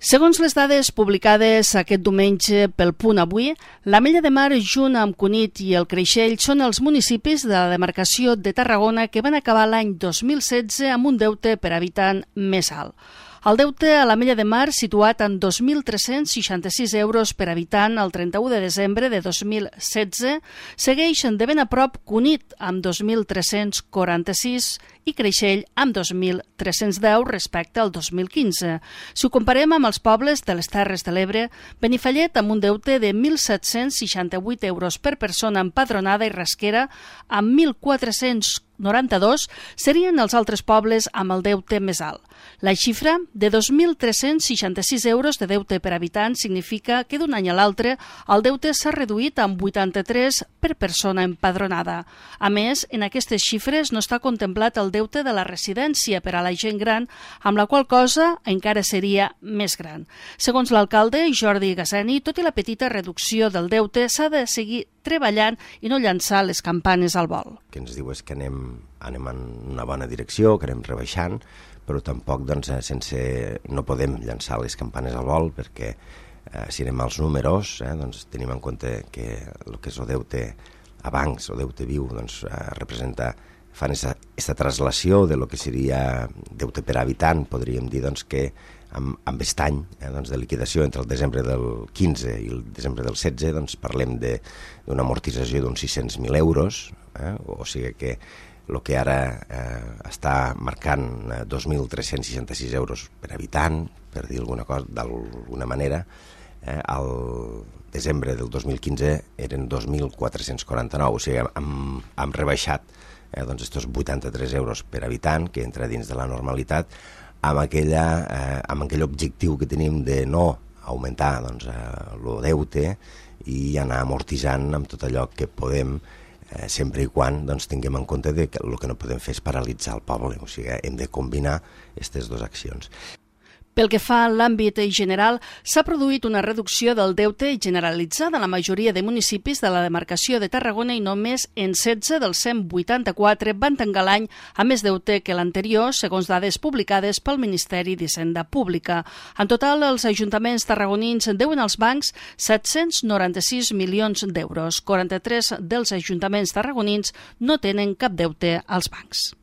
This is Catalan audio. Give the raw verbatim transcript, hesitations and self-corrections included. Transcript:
Segons les dades publicades aquest diumenge pel Punt Avui, l'Ametlla de Mar, junt amb Cunit i el Creixell, són els municipis de la demarcació de Tarragona que van acabar l'any dos mil setze amb un deute per habitant més alt. El deute a l'Ametlla de Mar, situat en dos mil tres-cents seixanta-sis euros per habitant el trenta-u de desembre de dos mil setze, segueix de ben a prop Cunit, amb dos mil tres-cents quaranta-sis i Creixell amb dos mil tres-cents deu respecte al dos mil quinze. Si ho comparem amb els pobles de les Terres de l'Ebre, Benifallet amb un deute de mil set-cents seixanta-vuit euros per persona empadronada i Rasquera amb mil quatre-cents noranta-dos serien els altres pobles amb el deute més alt. La xifra de dos mil tres-cents seixanta-sis euros de deute per habitant significa que d'un any a l'altre el deute s'ha reduït amb vuitanta-tres per persona empadronada. A més, en aquestes xifres no està contemplat el deute de la residència per a la gent gran, amb la qual cosa encara seria més gran. Segons l'alcalde Jordi Gasseni, tot i la petita reducció del deute, s'ha de seguir treballant i no llançar les campanes al vol. El que ens diu és que anem, anem en una bona direcció, que anem rebaixant, però tampoc doncs, sense, no podem llançar les campanes al vol perquè eh, si anem als números eh, doncs, tenim en compte que el que és el deute a bancs o deute viu doncs, eh, representa, fan aquesta traslació de lo que seria deute per habitant, podríem dir doncs, que amb, amb aquest any eh, doncs, de liquidació entre el desembre del quinze i el desembre del setze doncs, parlem d'una amortització d'uns sis-cents mil euros, eh, o sigui que el que ara eh, està marcant eh, dos mil tres-cents seixanta-sis euros per habitant, per dir alguna cosa d'alguna manera, eh, al desembre del dos mil quinze eren dos mil quatre-cents quaranta-nou, o sigui, hem, hem rebaixat eh, doncs, estos vuitanta-tres euros per habitant, que entra dins de la normalitat, amb, aquella, eh, amb aquell objectiu que tenim de no augmentar doncs, el deute i anar amortitzant amb tot allò que podem, eh, sempre i quan doncs, tinguem en compte de que el que no podem fer és paralitzar el poble, o sigui, hem de combinar aquestes dues accions. Pel que fa a l'àmbit general, s'ha produït una reducció del deute generalitzada en la majoria de municipis de la demarcació de Tarragona i només en setze dels cent vuitanta-quatre van tancar l'any amb més deute que l'anterior, segons dades publicades pel Ministeri d'Hisenda Pública. En total, els ajuntaments tarragonins deuen als bancs set-cents noranta-sis milions d'euros. quaranta-tres dels ajuntaments tarragonins no tenen cap deute als bancs.